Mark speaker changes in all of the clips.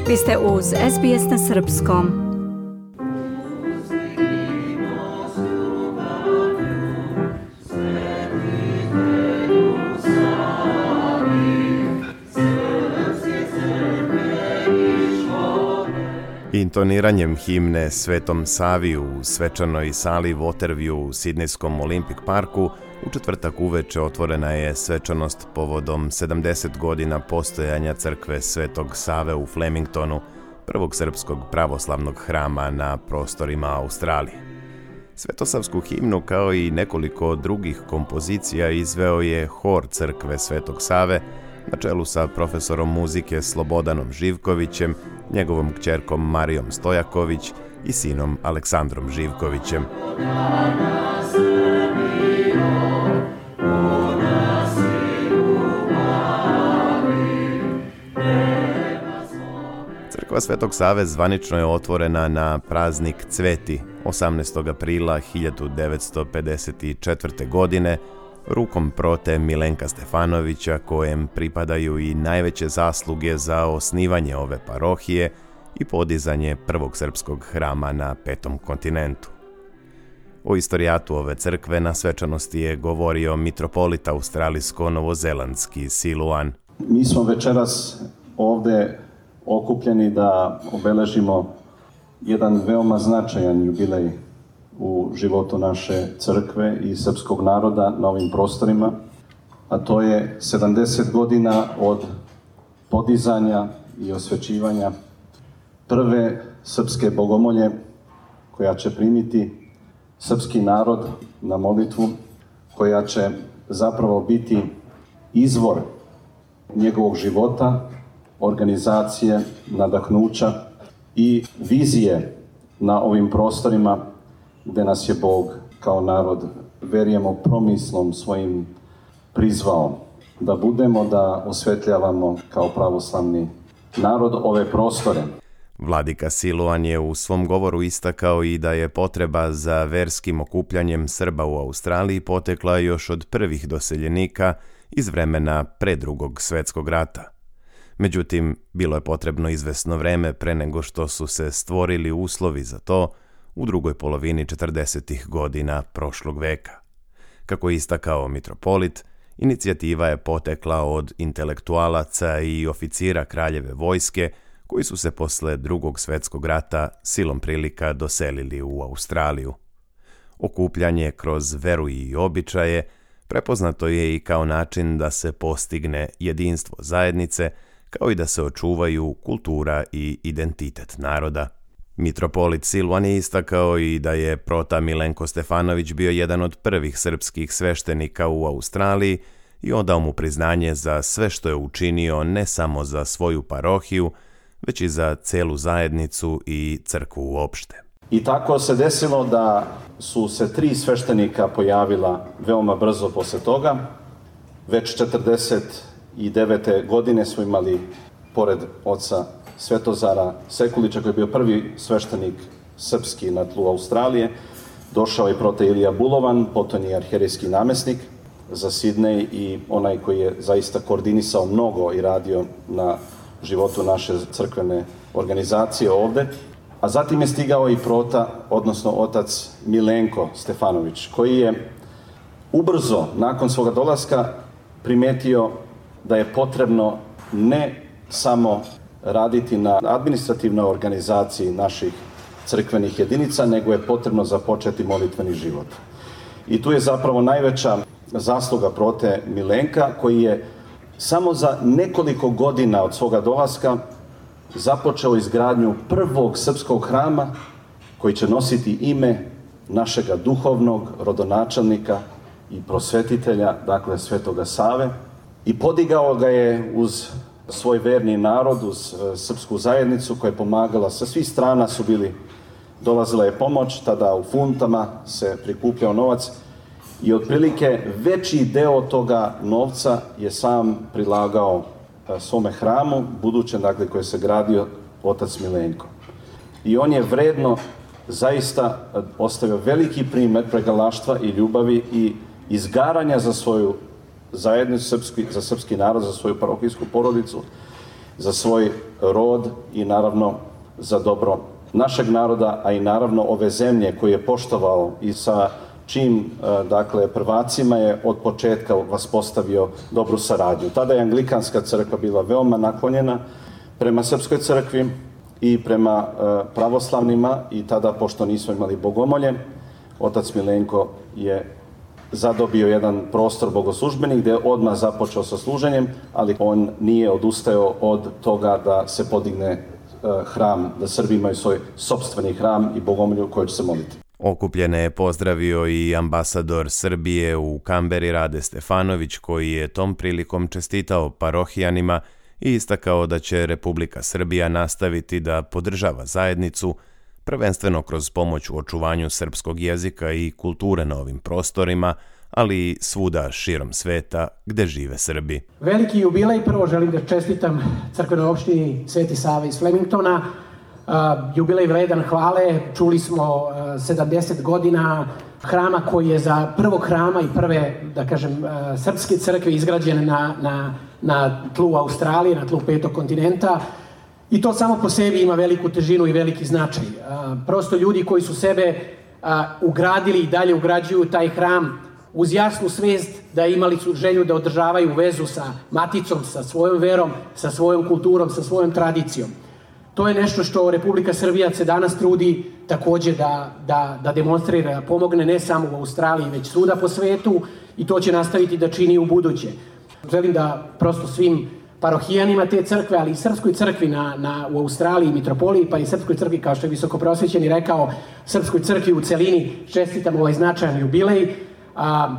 Speaker 1: Vi ste uz SBS na srpskom.
Speaker 2: Intoniranjem himne Svetom Savi u svečanoj sali Waterview u Sidnejskom Olympic parku u četvrtak uveče otvorena je svečanost povodom 70 godina postojanja crkve Svetog Save u Flemingtonu, prvog srpskog pravoslavnog hrama na prostorima Australije. Svetosavsku himnu kao i nekoliko drugih kompozicija izveo je hor crkve Svetog Save na čelu sa profesorom muzike Slobodanom Živkovićem, njegovom kćerkom Marijom Stojaković i sinom Aleksandrom Živkovićem. Crkva Svetog Save zvanično je otvorena na praznik Cveti 18. aprila 1954. godine rukom prote Milenka Stefanovića, kojem pripadaju i najveće zasluge za osnivanje ove parohije i podizanje prvog srpskog hrama na petom kontinentu. O istorijatu ove crkve na svečanosti je govorio mitropolit australijsko-novozelandski Siluan.
Speaker 3: Mi smo večeras ovde okupljeni da obeležimo jedan veoma značajan jubilej u životu naše crkve i srpskog naroda na ovim prostorima, a to je 70 godina od podizanja i osvećivanja prve srpske bogomolje koja će primiti srpski narod na molitvu, koja će zapravo biti izvor njegovog života, organizacije, nadahnuća i vizije na ovim prostorima gde nas je Bog kao narod, verujemo, promislom svojim prizvao da budemo, da osvetljavamo kao pravoslavni narod ove prostore.
Speaker 2: Vladika Siluan je u svom govoru istakao i da je potreba za verskim okupljanjem Srba u Australiji potekla još od prvih doseljenika iz vremena pre Drugog svjetskog rata. Međutim, bilo je potrebno izvesno vreme pre nego što su se stvorili uslovi za to u drugoj polovini 40. godina prošlog veka. Kako je istakao mitropolit, inicijativa je potekla od intelektualaca i oficira kraljeve vojske koji su se posle Drugog svjetskog rata silom prilika doselili u Australiju. Okupljanje kroz veru i običaje prepoznato je i kao način da se postigne jedinstvo zajednice, kao i da se očuvaju kultura i identitet naroda. Mitropolit Siluan je istakao i da je prota Milenko Stefanović bio jedan od prvih srpskih sveštenika u Australiji i odao mu priznanje za sve što je učinio ne samo za svoju parohiju, već i za celu zajednicu i crkvu uopšte.
Speaker 3: I tako se desilo da su se 3 sveštenika pojavila veoma brzo posle toga. Već 49. godine smo imali, pored oca Svetozara Sekulića, koji je bio prvi sveštenik srpski na tlu Australije, došao je prote Ilija Bulovan, potom je arhijerejski namesnik za Sidnej i onaj koji je zaista koordinisao mnogo i radio na životu naše crkvene organizacije ovde. A zatim je stigao i prota, odnosno otac Milenko Stefanović, koji je ubrzo nakon svoga dolaska primetio da je potrebno ne samo raditi na administrativnoj organizaciji naših crkvenih jedinica, nego je potrebno započeti molitveni život. I tu je zapravo najveća zasluga prote Milenka, koji je samo za nekoliko godina od svoga dolaska započeo izgradnju prvog srpskog hrama koji će nositi ime našega duhovnog rodonačelnika i prosvetitelja, dakle Svetoga Save, i podigao ga je uz svoj verni narod, uz srpsku zajednicu koja je pomagala. Sa svih strana dolazila je pomoć, tada u funtama se prikupljao novac i otprilike veći deo toga novca je sam prilagao svome hramu, budućem, dakle, koji se gradio otac Milenko. I on je vredno zaista ostavio veliki primer pregalaštva i ljubavi i izgaranja za svoju zajednicu, za srpski narod, za svoju parohijsku porodicu. za svoj rod i naravno za dobro našeg naroda, a i naravno ove zemlje koju je poštovao i sa čim, dakle, prvacima je od početka vaspostavio dobru saradnju. Tada je Anglikanska crkva bila veoma naklonjena prema Srpskoj crkvi i prema pravoslavnima i tada, pošto nismo imali bogomolje, otac Milenko je zadobio jedan prostor bogoslužbenik gdje je odmah započeo sa služenjem, ali on nije odustajao od toga da se podigne hram, da Srbi imaju svoj sopstveni hram i bogomolju koju će se moliti.
Speaker 2: Okupljene je pozdravio i ambasador Srbije u Kamberi Rade Stefanović, koji je tom prilikom čestitao parohijanima i istakao da će Republika Srbija nastaviti da podržava zajednicu, prvenstveno kroz pomoć u očuvanju srpskog jezika i kulture na ovim prostorima, ali i svuda širom sveta gde žive Srbi.
Speaker 4: Veliki jubilej, prvo želim da čestitam crkvenoj opštini Sveti Sava iz Flemingtona. Jubilej vredan hvale, čuli smo 70 godina hrama koji je za prvog hrama i prve, da kažem, srpske crkve izgrađene na tlu Australije, na tlu 5. kontinenta. I to samo po sebi ima veliku težinu i veliki značaj. Prosto ljudi koji su sebe ugradili i dalje ugrađuju taj hram uz jasnu svest da imali su želju da održavaju vezu sa maticom, sa svojom verom, sa svojom kulturom, sa svojom tradicijom. To je nešto što Republika Srbija se danas trudi takođe da demonstrira, pomogne ne samo u Australiji, već svuda po svetu i to će nastaviti da čini u buduće. Želim da prosto svim parohijanima te crkve, ali i Srpskoj crkvi u Australiji, Mitropoliji, pa i Srpskoj crkvi, kao što je visokoprosvećeni rekao, Srpskoj crkvi u celini čestitam ovaj značajan jubilej,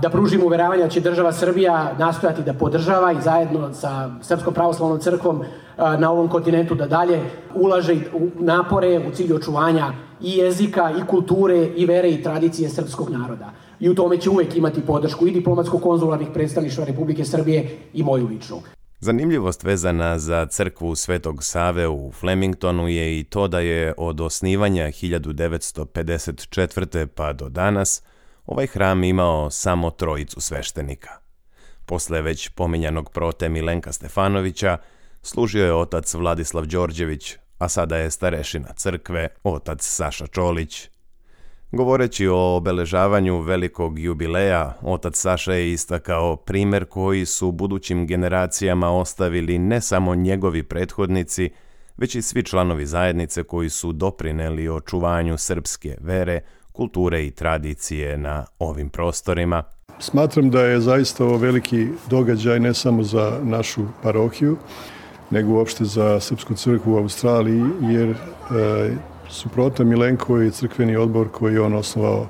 Speaker 4: da pružimo uveravanje da će država Srbija nastojati da podržava i zajedno sa Srpskom pravoslavnom crkvom na ovom kontinentu da dalje ulaže napore u cilju očuvanja i jezika, i kulture, i vere, i tradicije srpskog naroda. I u tome će uvek imati podršku i diplomatsko-konzularnih predstavništva Republike Srbije i moju ličnu.
Speaker 2: Zanimljivost vezana za crkvu Svetog Save u Flemingtonu je i to da je od osnivanja 1954. pa do danas ovaj hram imao samo 3 sveštenika. Posle već pominjanog prote Milenka Stefanovića služio je otac Vladislav Đorđević, a sada je starešina crkve otac Saša Čolić. Govoreći o obeležavanju velikog jubileja, otac Saša je istakao primer koji su budućim generacijama ostavili ne samo njegovi prethodnici, već i svi članovi zajednice koji su doprineli očuvanju srpske vere, kulture i tradicije na ovim prostorima.
Speaker 5: Smatram da je zaista ovo veliki događaj ne samo za našu parohiju, nego uopšte za Srpsku crkvu u Australiji, jer su proto Milenko i crkveni odbor koji je on osnovao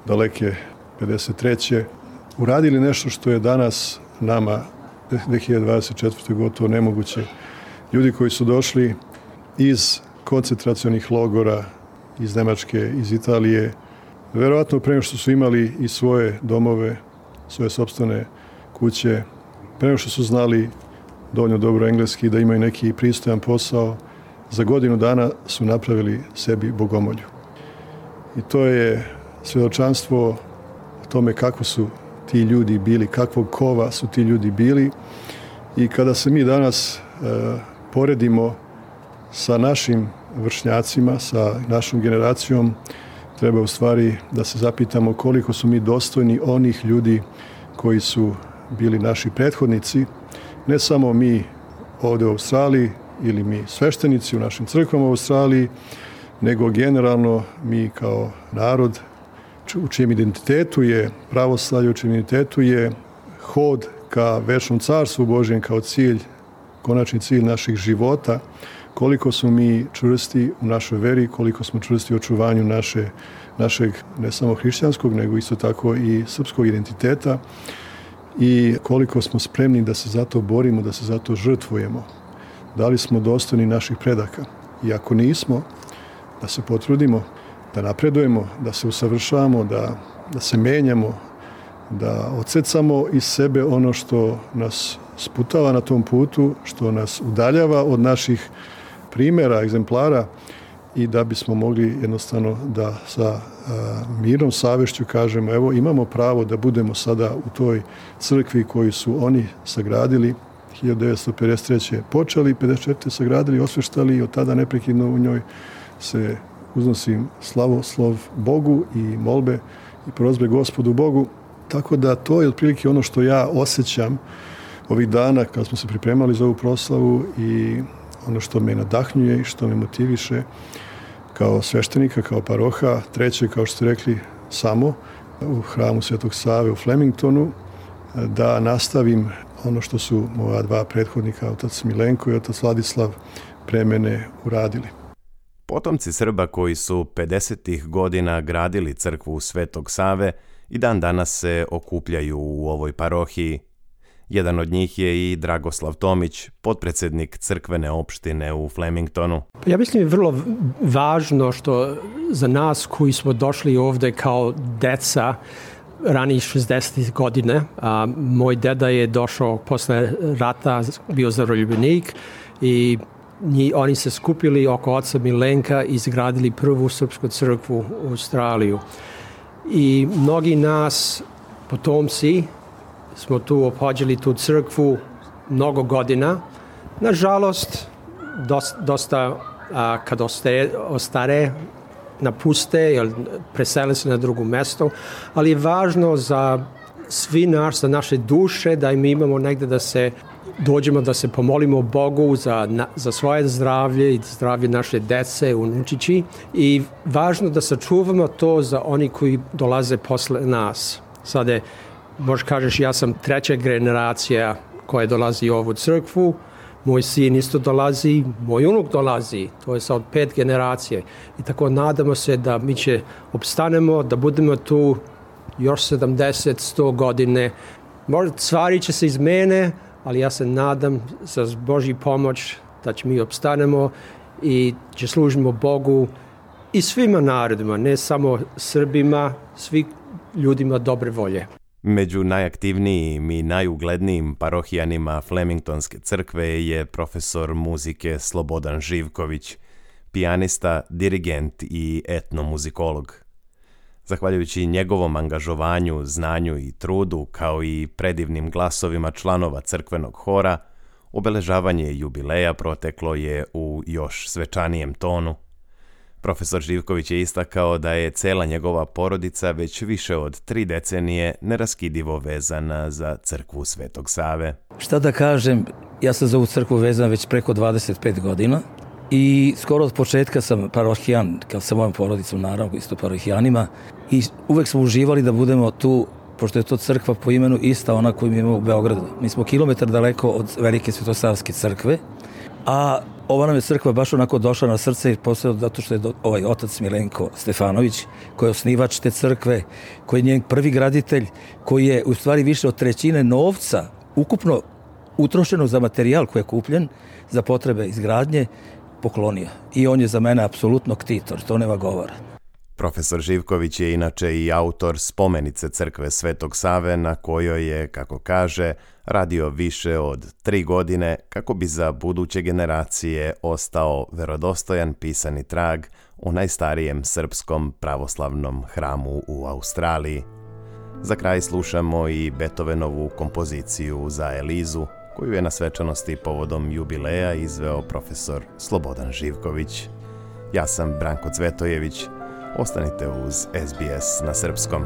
Speaker 5: daleke 53. uradili nešto što je danas nama 2024. gotovo nemoguće. Ljudi koji su došli iz koncentracionih logora, iz Nemačke, iz Italije, verovatno pre nego što su imali i svoje domove, svoje sopstvene kuće, pre nego što su znali dovoljno dobro engleski da imaju neki pristojan posao, za godinu dana su napravili sebi bogomolju. I to je svjedočanstvo o tome kako su ti ljudi bili, kakvog kova su ti ljudi bili. I kada se mi danas poredimo sa našim vršnjacima, sa našom generacijom, treba u stvari da se zapitamo koliko su mi dostojni onih ljudi koji su bili naši prethodnici, ne samo mi ovdje u Australiji ili mi sveštenici u našim crkvama u Australiji, nego generalno mi kao narod u čijem identitetu je pravoslavlje, u čijem identitetu je hod ka večnom carstvu Božjem kao cilj, konačni cilj naših života, koliko smo mi čvrsti u našoj veri, koliko smo čvrsti u očuvanju našeg ne samo hrišćanskog, nego isto tako i srpskog identiteta i koliko smo spremni da se za to borimo, da se za to žrtvujemo. Da li smo dostojni naših predaka? I ako nismo, da se potrudimo, da napredujemo, da se usavršavamo, da se menjamo, da odsecamo iz sebe ono što nas sputava na tom putu, što nas udaljava od naših primjera, egzemplara i da bismo mogli jednostavno da sa mirnom savješću kažemo evo imamo pravo da budemo sada u toj crkvi koju su oni sagradili 1953. počeli, 54. sagradili, osveštali i od tada neprekidno u njoj se uznosim slavoslov Bogu i molbe i prozbe Gospodu Bogu. Tako da to je otprilike ono što ja osjećam ovih dana kad smo se pripremali za ovu proslavu i ono što me nadahnjuje i što me motiviše kao sveštenika, kao paroha. Treće, kao što ste rekli, samo u hramu Svetog Save u Flemingtonu, da nastavim ono što su moja dva prethodnika, otac Milenko i otac Vladislav, pre mene uradili.
Speaker 2: Potomci Srba koji su 50. godina gradili crkvu Svetog Save i dan danas se okupljaju u ovoj parohiji. Jedan od njih je i Dragoslav Tomić, potpredsjednik crkvene opštine u Flemingtonu.
Speaker 6: Ja mislim je vrlo važno što za nas koji smo došli ovdje kao deca ranijih 60. godine. Moj deda je došao posle rata, bio zaroljubljenik i oni se skupili oko oca Milenka i izgradili prvu srpsku crkvu u Australiju. I mnogi nas, potomci, smo tu opođeli tu crkvu mnogo godina. Nažalost, dosta kad ostare, napuste ili presele se na drugo mesto, ali je važno za svi za naše duše da mi imamo negde da se dođemo, da se pomolimo Bogu za svoje zdravlje i zdravlje naše dece, unučići, i važno da sačuvamo to za oni koji dolaze posle nas. Sada možeš kažeš, ja sam treća generacija koja dolazi u ovu crkvu, moj sin isto dolazi, moj unuk dolazi, to je sad 5 generacije. I tako nadamo se da mi će opstanemo, da budemo tu još 70-100 godine. Možda stvari će se izmene, ali ja se nadam za Božji pomoć da će mi opstanemo i će služimo Bogu i svima narodima, ne samo Srbima, svi ljudima dobre volje.
Speaker 2: Među najaktivnijim i najuglednijim parohijanima Flemingtonske crkve je profesor muzike Slobodan Živković, pijanista, dirigent i etnomuzikolog. Zahvaljujući njegovom angažovanju, znanju i trudu, kao i predivnim glasovima članova crkvenog hora, obeležavanje jubileja proteklo je u još svečanijem tonu. Profesor Živković je istakao da je cela njegova porodica već više od 3 decenije neraskidivo vezana za crkvu Svetog Save.
Speaker 7: Šta da kažem, ja sam za ovu crkvu vezan već preko 25 godina i skoro od početka sam parohijan, kao sa mojom porodicom, naravno isto parohijanima, i uvek smo uživali da budemo tu, pošto je to crkva po imenu ista ona koju mi imamo u Beogradu. Mi smo kilometar daleko od velike Svetosavske crkve, a ova nam je crkva baš onako došla na srce, posebno zato što je ovaj otac Milenko Stefanović, koji je osnivač te crkve, koji je njen prvi graditelj, koji je u stvari više od 1/3 novca ukupno utrošeno za materijal koji je kupljen za potrebe izgradnje poklonio. I on je za mene apsolutno ktitor, to nema govora.
Speaker 2: Profesor Živković je inače i autor spomenice crkve Svetog Save, na kojoj je, kako kaže, radio više od 3 godine kako bi za buduće generacije ostao verodostojan pisani trag o najstarijem srpskom pravoslavnom hramu u Australiji. Za kraj slušamo i Beethovenovu kompoziciju za Elizu, koju je na svečanosti povodom jubileja izveo profesor Slobodan Živković. Ja sam Branko Cvetojević. Ostanite uz SBS na srpskom.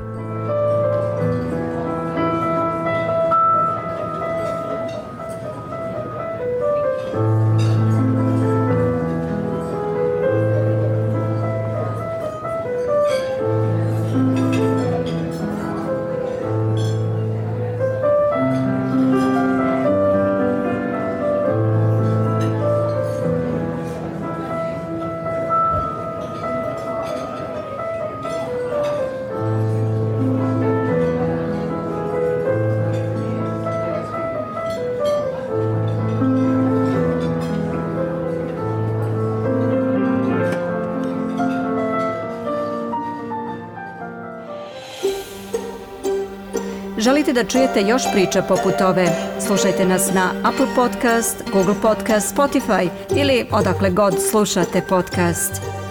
Speaker 1: Želite da čujete još priča poput ove? Slušajte nas na Apple Podcast, Google Podcast, Spotify ili odakle god slušate podcast.